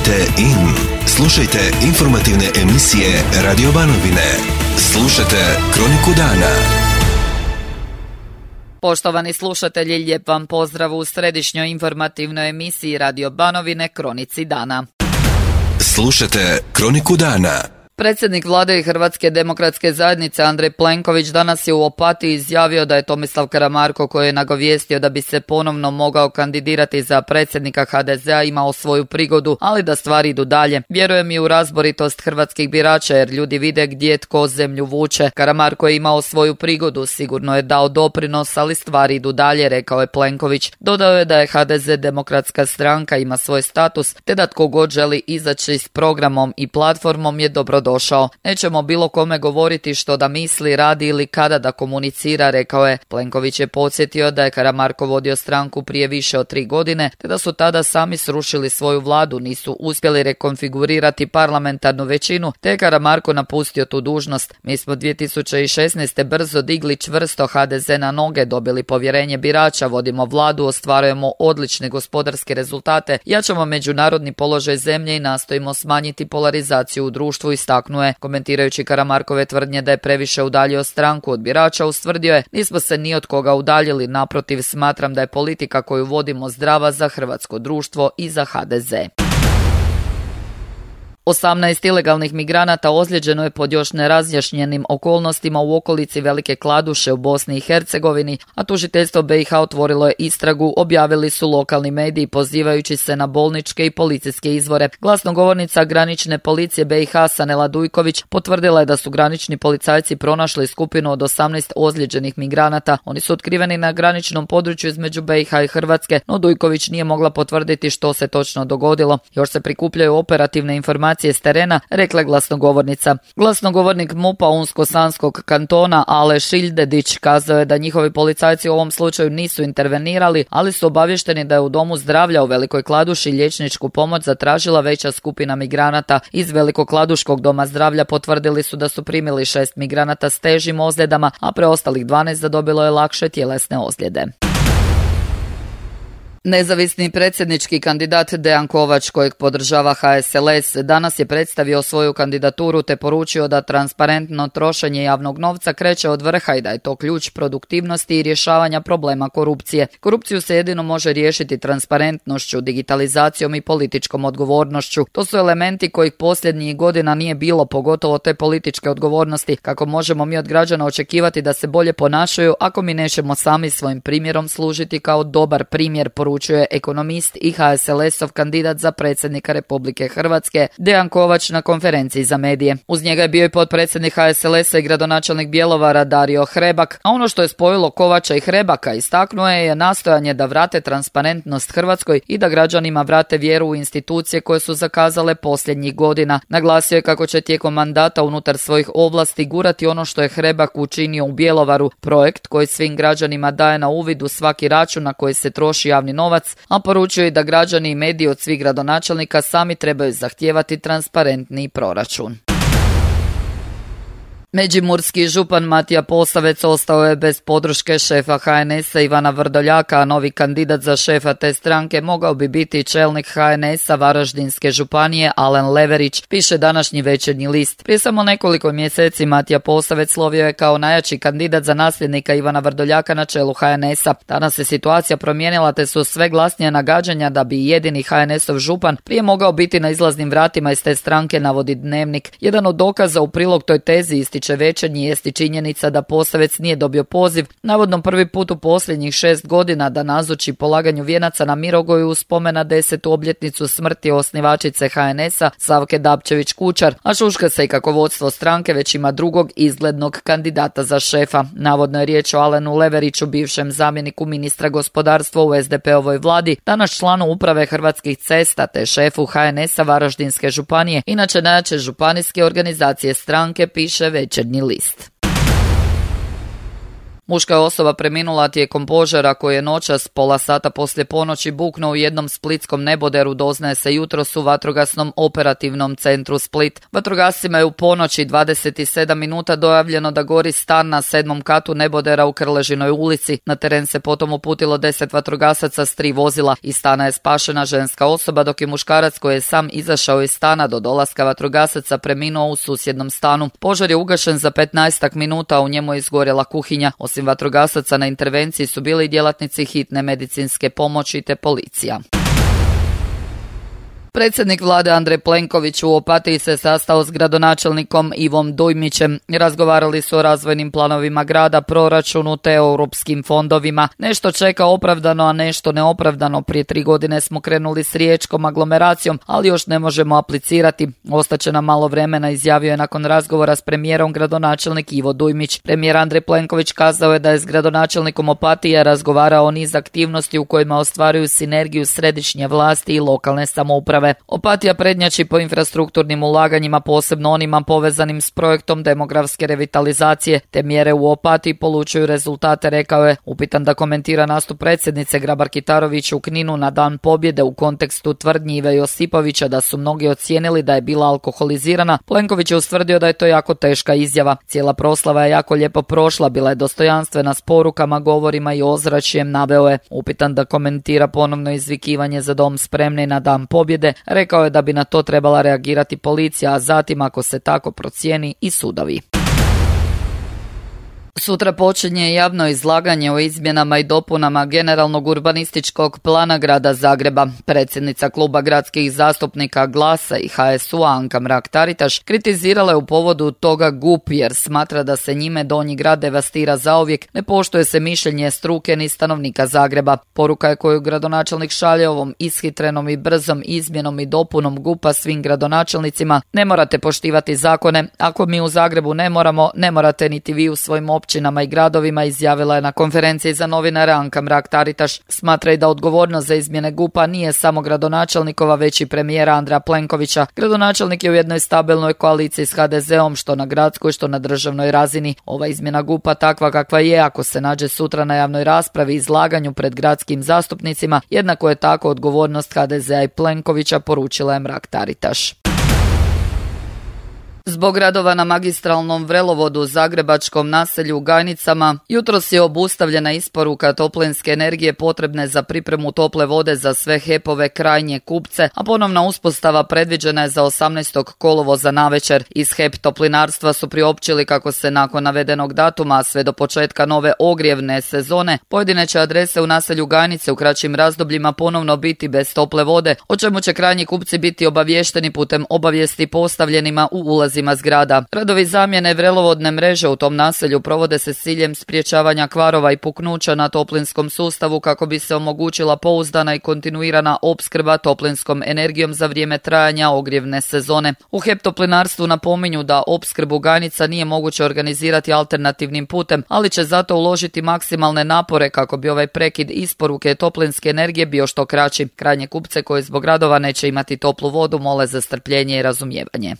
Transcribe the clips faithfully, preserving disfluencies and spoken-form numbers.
Tunite in. Slušajte informativne emisije Radio Banovine. Slušajte Kroniku dana. Poštovani slušatelji, lijep vam pozdrav u središnjoj informativnoj emisiji Radio Banovine Kronici dana. Slušajte Kroniku dana. Predsjednik vlade i Hrvatske demokratske zajednice Andrej Plenković danas je u Opatiji izjavio da je Tomislav Karamarko, koji je nagovijestio da bi se ponovno mogao kandidirati za predsjednika ha de zea, imao svoju prigodu, ali da stvari idu dalje. Vjerujem i u razboritost hrvatskih birača, jer ljudi vide gdje tko zemlju vuče. Karamarko je imao svoju prigodu, sigurno je dao doprinos, ali stvari idu dalje, rekao je Plenković. Dodao je da je ha de ze demokratska stranka, ima svoj status, te da tko god želi izaći s programom i platformom je dobro došao. Nećemo bilo kome govoriti što da misli, radi ili kada da komunicira, rekao je. Plenković je podsjetio da je Karamarko vodio stranku prije više od tri godine, te da su tada sami srušili svoju vladu, nisu uspjeli rekonfigurirati parlamentarnu većinu, te je Karamarko napustio tu dužnost. Mi smo dvije tisuće šesnaeste. brzo digli čvrsto ha de ze na noge, dobili povjerenje birača, vodimo vladu, ostvarujemo odlične gospodarske rezultate, jačamo međunarodni položaj zemlje i nastojimo smanjiti polarizaciju u društvu, istaknuo je. Komentirajući Karamarkove tvrdnje da je previše udaljio stranku od birača, ustvrdio je: nismo se ni od koga udaljili, naprotiv, smatram da je politika koju vodimo zdrava za hrvatsko društvo i za ha de ze. osamnaest ilegalnih migranata ozlijeđeno je pod još nerazjašnjenim okolnostima u okolici Velike Kladuše u Bosni i Hercegovini, a tužiteljstvo be i ha otvorilo je istragu, objavili su lokalni mediji pozivajući se na bolničke i policijske izvore. Glasnogovornica granične policije be i ha Sanela Dujković potvrdila je da su granični policajci pronašli skupinu od osamnaest ozlijeđenih migranata. Oni su otkriveni na graničnom području između be i ha i Hrvatske, no Dujković nije mogla potvrditi što se točno dogodilo. Još se prikupljaju operativne informacije s terena, rekla glasnogovornica. Glasnogovornik mupa Unsko-Sanskog kantona Ale Šiljdedić kazao je da njihovi policajci u ovom slučaju nisu intervenirali, ali su obavješteni da je u domu zdravlja u Velikoj Kladuši liječničku pomoć zatražila veća skupina migranata. Iz Velikokladuškog doma zdravlja potvrdili su da su primili šest migranata s težim ozljedama, a preostalih dvanaest zadobilo je lakše tjelesne ozljede. Nezavisni predsjednički kandidat Dejan Kovač, kojeg podržava ha es el es, danas je predstavio svoju kandidaturu te poručio da transparentno trošenje javnog novca kreće od vrha i da je to ključ produktivnosti i rješavanja problema korupcije. Korupciju se jedino može riješiti transparentnošću, digitalizacijom i političkom odgovornošću. To su elementi kojih posljednjih godina nije bilo, pogotovo te političke odgovornosti. Kako možemo mi od građana očekivati da se bolje ponašaju ako mi nećemo sami svojim primjerom služiti kao dobar primjer, poručuje ekonomist i ha es el esov kandidat za predsjednika Republike Hrvatske Dejan Kovač na konferenciji za medije. Uz njega je bio i potpredsjednik ha es el esa i gradonačelnik Bjelovara Dario Hrebak, a ono što je spojilo Kovača i Hrebaka, istaknuo je, je nastojanje da vrate transparentnost Hrvatskoj i da građanima vrate vjeru u institucije koje su zakazale posljednjih godina. Naglasio je kako će tijekom mandata unutar svojih ovlasti gurati ono što je Hrebak učinio u Bjelovaru, projekt koji svim građanima daje na uvid u svaki račun na koji se troši javni novac, a poručuje i da građani i mediji od svih gradonačelnika sami trebaju zahtijevati transparentniji proračun. Međimurski župan Matija Posavec ostao je bez podrške šefa ha en esa Ivana Vrdoljaka, a novi kandidat za šefa te stranke mogao bi biti čelnik ha en esa Varaždinske županije Alen Leverić, piše današnji Večernji list. Prije samo nekoliko mjeseci Matija Posavec slovio je kao najjači kandidat za nasljednika Ivana Vrdoljaka na čelu ha en esa. Danas se situacija promijenila te su sve glasnija nagađanja da bi jedini ha en esov župan prije mogao biti na izlaznim vratima iz te stranke, navodi Dnevnik. Jedan od dokaza u prilog toj tezi isti Večernji jest i činjenica da Posavec nije dobio poziv, navodno prvi put u posljednjih šest godina, da nazoči polaganju vijenaca na Mirogoju u spomen na desetu obljetnicu smrti osnivačice ha en esa Savke Dabčević-Kučar, a šuška se i kako vodstvo stranke već ima drugog izglednog kandidata za šefa. Navodno je riječ o Alenu Leveriću, bivšem zamjeniku ministra gospodarstva u es de pe ovoj vladi, danas članu uprave Hrvatskih cesta te šefu ha en esa Varaždinske županije, inače najjače županijske organizacije stranke, piše Večernji list. Muška je osoba preminula tijekom požara koji je noćas pola sata poslije ponoći buknuo u jednom splitskom neboderu, doznaje se jutros u vatrogasnom operativnom centru Split. Vatrogascima je u ponoći dvadeset sedam minuta dojavljeno da gori stan na sedmom katu nebodera u Krležinoj ulici. Na teren se potom uputilo deset vatrogasaca s tri vozila. Iz stana je spašena ženska osoba, dok je muškarac koji je sam izašao iz stana do dolaska vatrogasaca preminuo u susjednom stanu. Požar je ugašen za petnaestak minuta, a u njemu je izgorjela kuhinja. Osim vatrogasaca na intervenciji su bili i djelatnici hitne medicinske pomoći te policija. Predsjednik vlade Andrej Plenković u Opatiji se sastao s gradonačelnikom Ivom Dujmićem. Razgovarali su o razvojnim planovima grada, proračunu te europskim fondovima. Nešto čeka opravdano, a nešto neopravdano. Prije tri godine smo krenuli s riječkom aglomeracijom, ali još ne možemo aplicirati. Ostaće nam malo vremena, izjavio je nakon razgovora s premijerom gradonačelnik Ivo Dujmić. Premijer Andrej Plenković kazao je da je s gradonačelnikom Opatije razgovarao o niz aktivnosti u kojima ostvaruju sinergiju središnje vlasti i lokalne samouprave. Opatija prednjači po infrastrukturnim ulaganjima, posebno onima povezanim s projektom demografske revitalizacije. Te mjere u Opatiji polučuju rezultate, rekao je. Upitan da komentira nastup predsjednice Grabar-Kitarović u Kninu na Dan pobjede u kontekstu tvrdnji Ive Josipovića da su mnogi ocijenili da je bila alkoholizirana, Plenković je ustvrdio da je to jako teška izjava. Cijela proslava je jako lijepo prošla, bila je dostojanstvena s porukama, govorima i ozračjem, naveo je. Upitan da komentira ponovno izvikivanje za dom spremni na Dan pobjede, rekao je da bi na to trebala reagirati policija, a zatim, ako se tako procijeni, i sudovi. Sutra počinje javno izlaganje o izmjenama i dopunama generalnog urbanističkog plana grada Zagreba. Predsjednica kluba gradskih zastupnika Glasa i H S U Anka Mrak-Taritaš kritizirala je u povodu toga G U P jer smatra da se njime Donji grad devastira zauvijek, ne poštuje se mišljenje struke ni stanovnika Zagreba. Poruka je koju gradonačelnik šalje ovom ishitrenom i brzom izmjenom i dopunom G U P-a svim gradonačelnicima: ne morate poštivati zakone, ako mi u Zagrebu ne moramo, ne morate niti vi u svojim općinama i gradovima, izjavila je na konferenciji za novinare Anka Mrak-Taritaš. Smatra i da odgovornost za izmjene G U P-a nije samo gradonačelnikova, već i premijera Andreja Plenkovića. Gradonačelnik je u jednoj stabilnoj koaliciji s H D Z-om, što na gradskoj, što na državnoj razini. Ova izmjena G U P-a takva kakva je, ako se nađe sutra na javnoj raspravi i izlaganju pred gradskim zastupnicima, jednako je tako odgovornost H D Z-a i Plenkovića, poručila je Mrak-Taritaš. Zbog radova na magistralnom vrelovodu u zagrebačkom naselju u Gajnicama, jutros je obustavljena isporuka toplinske energije potrebne za pripremu tople vode za sve H E P-ove krajnje kupce, a ponovna uspostava predviđena je za osamnaestog kolovoza navečer. Iz H E P toplinarstva su priopćili kako se nakon navedenog datuma, sve do početka nove ogrijevne sezone, pojedine će adrese u naselju Gajnice u kraćim razdobljima ponovno biti bez tople vode, o čemu će krajnji kupci biti obavješteni putem obavijesti postavljenima u ulazi zgrada. Radovi zamjene vrelovodne mreže u tom naselju provode se s ciljem sprječavanja kvarova i puknuća na toplinskom sustavu kako bi se omogućila pouzdana i kontinuirana opskrba toplinskom energijom za vrijeme trajanja ogrijevne sezone. U H E P toplinarstvu napominju da opskrbu Gajnica nije moguće organizirati alternativnim putem, ali će zato uložiti maksimalne napore kako bi ovaj prekid isporuke toplinske energije bio što kraći. Krajnje kupce koji zbog radova neće imati toplu vodu mole za strpljenje i razumijevanje.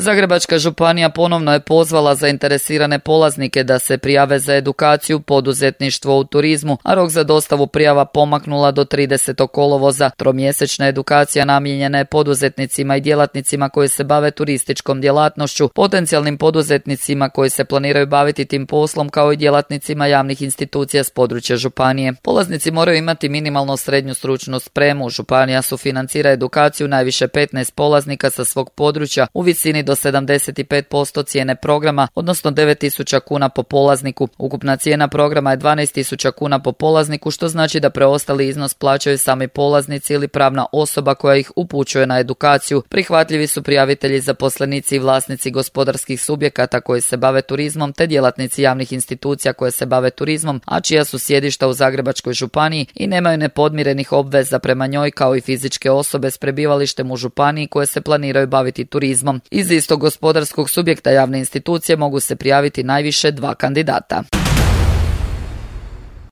Zagrebačka županija ponovno je pozvala zainteresirane polaznike da se prijave za edukaciju poduzetništvo u turizmu, a rok za dostavu prijava pomaknula do tridesetog kolovoza. Tromjesečna edukacija namijenjena je poduzetnicima i djelatnicima koji se bave turističkom djelatnošću, potencijalnim poduzetnicima koji se planiraju baviti tim poslom, kao i djelatnicima javnih institucija s područja županije. Polaznici moraju imati minimalno srednju stručnu spremu. Županija sufinancira edukaciju najviše petnaest polaznika sa svog područja u visini do sedamdeset pet posto cijene programa, odnosno devet tisuća kuna po polazniku. Ukupna cijena programa je dvanaest tisuća kuna po polazniku, što znači da preostali iznos plaćaju sami polaznici ili pravna osoba koja ih upućuje na edukaciju. Prihvatljivi su prijavitelji, zaposlenici i vlasnici gospodarskih subjekata koji se bave turizmom, te djelatnici javnih institucija koje se bave turizmom, a čija su sjedišta u Zagrebačkoj županiji i nemaju nepodmirenih obveza prema njoj, kao i fizičke osobe s prebivalištem u županiji koje se planiraju baviti turizmom. Iz istog gospodarskog subjekta javne institucije mogu se prijaviti najviše dva kandidata.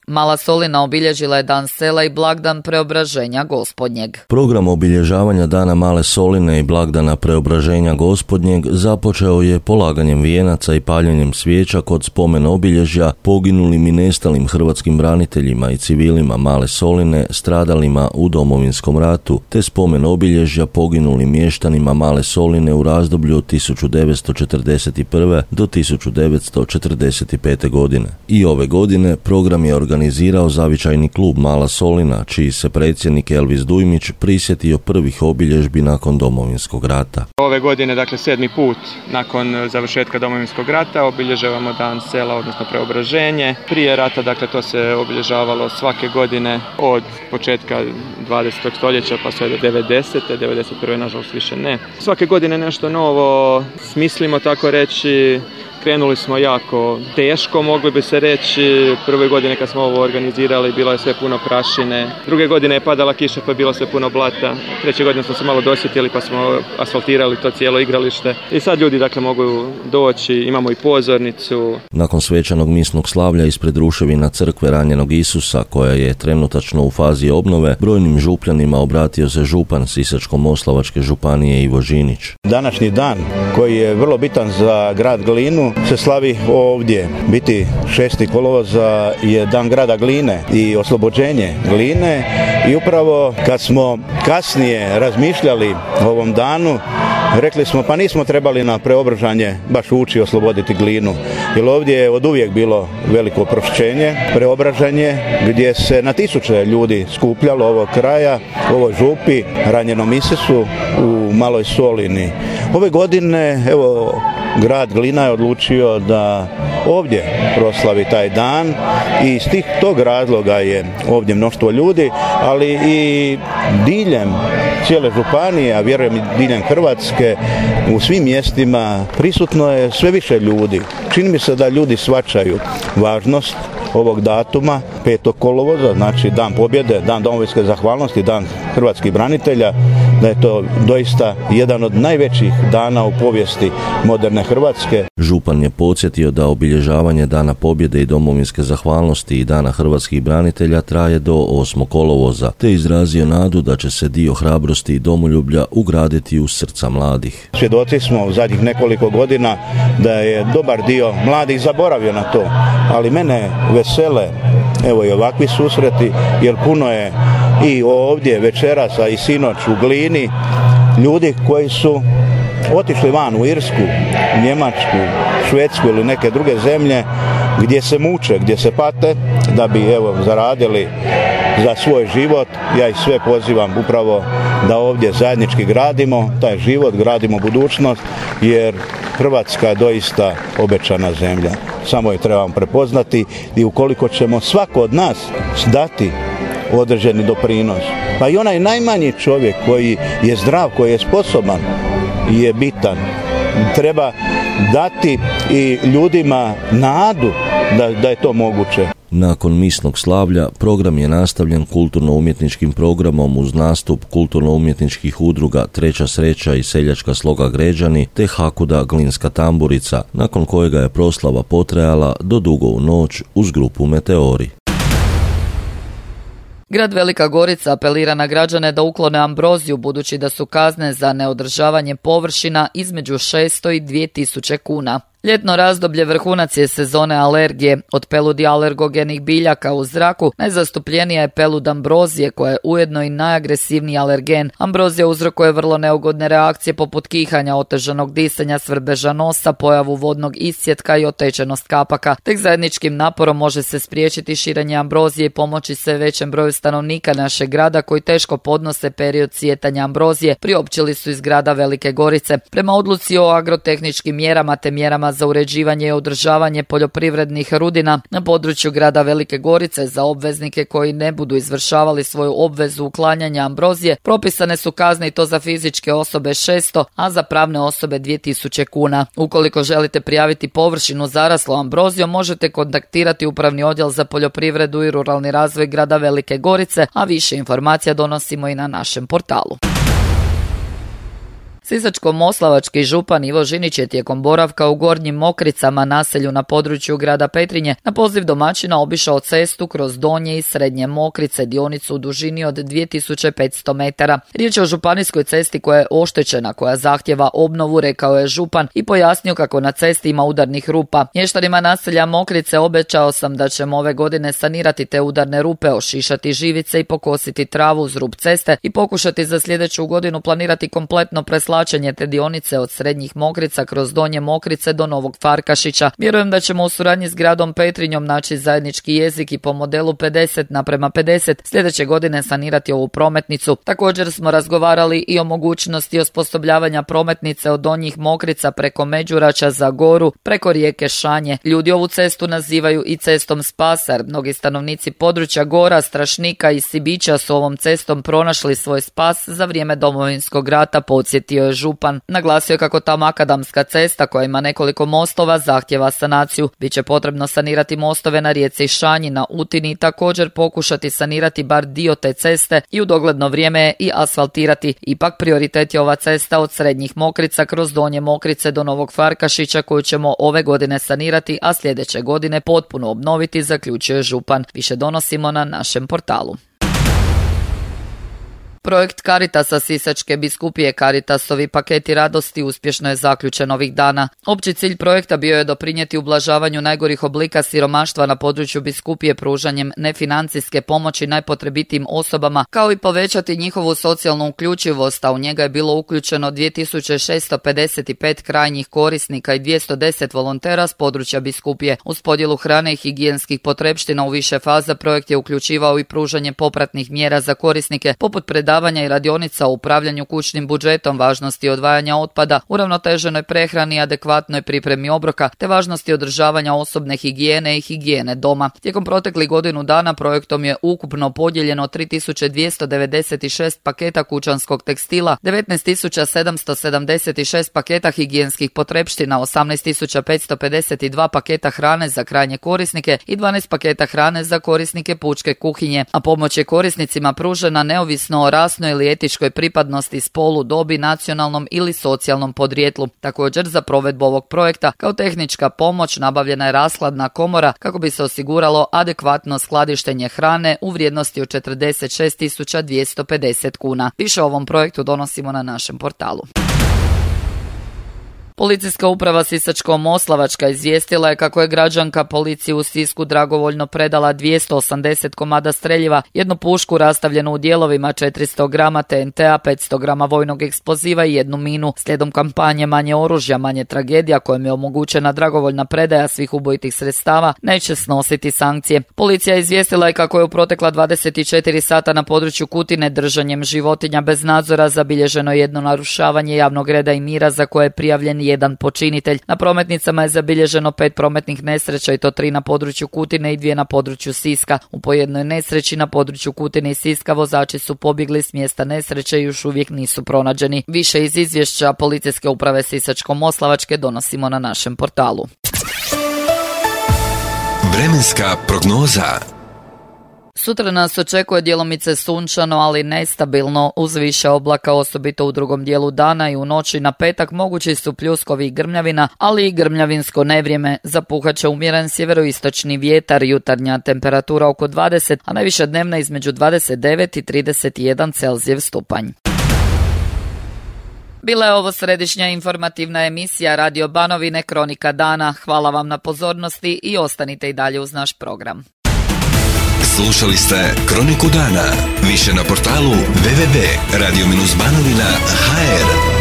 Mala Solina obilježila je dan sela i blagdan Preobraženja Gospodnjeg. Program obilježavanja dana Male Soline i blagdana Preobraženja Gospodnjeg započeo je polaganjem vijenaca i paljenjem svijeća kod spomen obilježja poginulim i nestalim hrvatskim braniteljima i civilima Male Soline stradalima u Domovinskom ratu, te spomen obilježja poginulim mještanima Male Soline u razdoblju od tisuću devetsto četrdeset prve do tisuću devetsto četrdeset pete godine. I ove godine program je organizirao zavičajni klub Mala Solina, čiji se predsjednik Elvis Dujmić prisjetio prvih obilježbi nakon Domovinskog rata. Ove godine, dakle sedmi put nakon završetka Domovinskog rata, obilježavamo dan sela, odnosno Preobraženje. Prije rata, dakle, to se obilježavalo svake godine od početka dvadesetog stoljeća pa sve do devedesete. devedeset prve nažalost više ne. Svake godine nešto novo smislimo, tako reći. Krenuli smo jako teško, mogli bi se reći. Prve godine kad smo ovo organizirali bilo je sve puno prašine. Druge godine je padala kiša pa je bilo sve puno blata. Treće godine smo se malo dosjetili pa smo asfaltirali to cijelo igralište. I sad ljudi dakle mogu doći, imamo i pozornicu. Nakon svečanog misnog slavlja ispred ruševina crkve Ranjenog Isusa, koja je trenutačno u fazi obnove, brojnim župljanima obratio se župan Sisačko-moslavačke županije Ivo Žinić. Današnji dan koji je vrlo bitan za grad Glinu se slavi ovdje. Biti šesti kolovoza je dan grada Gline i oslobođenje Gline i upravo kad smo kasnije razmišljali o ovom danu, rekli smo pa nismo trebali na Preobražanje baš ući osloboditi Glinu, jer ovdje je od uvijek bilo veliko oprošćenje, Preobražanje gdje se na tisuće ljudi skupljalo ovog kraja, u ovoj župi, Ranjenom Isusu u Maloj Solini. Ove godine, evo, grad Glina je odlučio da ovdje proslavi taj dan i iz tih tog razloga je ovdje mnoštvo ljudi, ali i diljem cijele županije, a vjerujem i diljem Hrvatske, u svim mjestima prisutno je sve više ljudi. Čini mi se da ljudi shvaćaju važnost ovog datuma, petog kolovoza, znači dan pobjede, dan domovinske zahvalnosti, dan hrvatskih branitelja, da je to doista jedan od najvećih dana u povijesti moderne Hrvatske. Župan je podsjetio da obilježavanje dana pobjede i domovinske zahvalnosti i dana hrvatskih branitelja traje do osmog kolovoza, te izrazio nadu da će se dio hrabrosti i domoljublja ugraditi u srca mladih. Svjedoci smo u zadnjih nekoliko godina da je dobar dio mladih zaboravio na to, ali mene vesele evo i ovakvi susreti, jer puno je i ovdje večeras, a i sinoć u Glini ljudi koji su otišli van u Irsku, Njemačku, Švedsku ili neke druge zemlje gdje se muče, gdje se pate da bi evo zaradili za svoj život. Ja ih sve pozivam upravo da ovdje zajednički gradimo taj život, gradimo budućnost, jer Hrvatska je doista obećana zemlja. Samo je trebamo prepoznati i ukoliko ćemo svako od nas dati određeni doprinos, pa i onaj najmanji čovjek koji je zdrav, koji je sposoban, je bitan. Treba dati i ljudima nadu da, da je to moguće. Nakon misnog slavlja program je nastavljen kulturno-umjetničkim programom uz nastup kulturno-umjetničkih udruga Treća sreća i Seljačka sloga Gređani te Hakuda Glinska tamburica, nakon kojega je proslava potrajala do dugo u noć uz grupu Meteori. Grad Velika Gorica apelira na građane da uklone ambroziju, budući da su kazne za neodržavanje površina između šesto i dvije tisuće kuna. Ljetno razdoblje vrhunac je sezone alergije. Od peludi alergogenih biljaka u zraku najzastupljenija je pelud ambrozije, koja je ujedno i najagresivniji alergen. Ambrozija uzrokuje vrlo neugodne reakcije poput kihanja, otežanog disanja, svrbeža nosa, pojavu vodnog iscjetka i otečenost kapaka. Tek zajedničkim naporom može se spriječiti širenje ambrozije i pomoći se većem broju stanovnika našeg grada koji teško podnose period cvjetanja ambrozije, priopćili su iz grada Velike Gorice. Prema odluci o agrotehničkim mjerama te mjerama za uređivanje i održavanje poljoprivrednih rudina na području grada Velike Gorice za obveznike koji ne budu izvršavali svoju obvezu uklanjanja ambrozije propisane su kazne, i to za fizičke osobe šesto, a za pravne osobe dvije tisuće kuna. Ukoliko želite prijaviti površinu zaraslu ambrozijom, možete kontaktirati Upravni odjel za poljoprivredu i ruralni razvoj grada Velike Gorice, a više informacija donosimo i na našem portalu. Sisačko-moslavački župan Ivo Žinić je tijekom boravka u Gornjim Mokricama, naselju na području grada Petrinje, na poziv domaćina obišao cestu kroz Donje i Srednje Mokrice, dionicu u dužini od dvije tisuće petsto metara. Riječ je o županijskoj cesti koja je oštećena, koja zahtjeva obnovu, rekao je župan i pojasnio kako na cesti ima udarnih rupa. Mještanima naselja Mokrice obećao sam da ćemo ove godine sanirati te udarne rupe, ošišati živice i pokositi travu uz rub ceste i pokušati za sljedeću godinu planirati kompletno preslačenje te dionice od Srednjih Mokrica kroz Donje Mokrice do Novog Farkašića. Vjerujem da ćemo u suradnji s gradom Petrinjom naći zajednički jezik i po modelu pedeset naprema pedeset sljedeće godine sanirati ovu prometnicu. Također smo razgovarali i o mogućnosti osposobljavanja prometnice od Donjih Mokrica preko Međurača za Goru, preko rijeke Šanje. Ljudi ovu cestu nazivaju i cestom spasa, jer mnogi stanovnici područja Gora, Strašnika i Sibića su ovom cestom pronašli svoj spas za vrijeme Domovinskog rata, podsjetio je župan. Naglasio je kako ta makadamska cesta koja ima nekoliko mostova zahtjeva sanaciju. Biće potrebno sanirati mostove na rijeci Šanji, na Utini i također pokušati sanirati bar dio te ceste i u dogledno vrijeme i asfaltirati. Ipak prioritet je ova cesta od Srednjih Mokrica kroz Donje Mokrice do Novog Farkašića koju ćemo ove godine sanirati, a sljedeće godine potpuno obnoviti, zaključio je župan. Više donosimo na našem portalu. Projekt Caritasa Sisačke biskupije Caritasovi paketi radosti uspješno je zaključen ovih dana. Opći cilj projekta bio je doprinijeti ublažavanju najgorih oblika siromaštva na području biskupije pružanjem nefinancijske pomoći najpotrebitijim osobama, kao i povećati njihovu socijalnu uključivost, a u njega je bilo uključeno dvije tisuće šesto pedeset pet krajnjih korisnika i dvjesto deset volontera s područja biskupije. Uz podjelu hrane i higijenskih potrepština u više faza projekt je uključivao i pružanje popratnih mjera za korisnike, poput predavanja i radionica o upravljanju kućnim budžetom, važnosti odvajanja otpada, uravnoteženoj prehrani i adekvatnoj pripremi obroka, te važnosti održavanja osobne higijene i higijene doma. Tijekom proteklih godinu dana projektom je ukupno podijeljeno tri tisuće dvjesto devedeset šest paketa kućanskog tekstila, devetnaest tisuća sedamsto sedamdeset šest paketa higijenskih potrepština, osamnaest tisuća petsto pedeset dva paketa hrane za krajnje korisnike i dvanaest paketa hrane za korisnike pučke kuhinje, a pomoć je korisnicima pružena neovisno o rasnoj ili etičkoj pripadnosti, spolu, dobi, nacionalnom ili socijalnom podrijetlu. Također, za provedbu ovog projekta kao tehnička pomoć nabavljena je rashladna komora kako bi se osiguralo adekvatno skladištenje hrane u vrijednosti od četrdeset šest tisuća dvjesto pedeset kuna. Više o ovom projektu donosimo na našem portalu. Policijska uprava Sisačko-moslavačka izvijestila je kako je građanka policiji u Sisku dragovoljno predala dvjesto osamdeset komada streljiva, jednu pušku rastavljenu u dijelovima, četiristo grama T N T-a, petsto grama vojnog eksploziva i jednu minu. Slijedom kampanje Manje oružja, manje tragedija, kojom je omogućena dragovoljna predaja svih ubojitih sredstava, neće snositi sankcije. Policija je izvijestila je kako je u protekla dvadeset četiri sata na području Kutine držanjem životinja bez nadzora zabilježeno jedno narušavanje javnog reda i mira za koje je prijavljen jedan počinitelj. Na prometnicama je zabilježeno pet prometnih nesreća i to tri na području Kutine i dvije na području Siska. U po jednoj nesreći na području Kutine i Siska vozači su pobjegli s mjesta nesreće i još uvijek nisu pronađeni. Više iz izvješća Policijske uprave Sisačko-moslavačke donosimo na našem portalu. Vremenska prognoza. Sutra nas očekuje djelomice sunčano, ali nestabilno, uz više oblaka, osobito u drugom dijelu dana i u noći na petak mogući su pljuskovi i grmljavina, ali i grmljavinsko nevrijeme. Zapuhat će umjeren sjeveroistočni vjetar, jutarnja temperatura oko dvadeset, a najviša dnevna između dvadeset devet i trideset jedan Celzijev stupanj. Bila je ovo središnja informativna emisija Radio Banovine Kronika dana. Hvala vam na pozornosti i ostanite i dalje uz naš program. Slušali ste Kroniku dana. Više na portalu w w w tačka radio banovina tačka h r.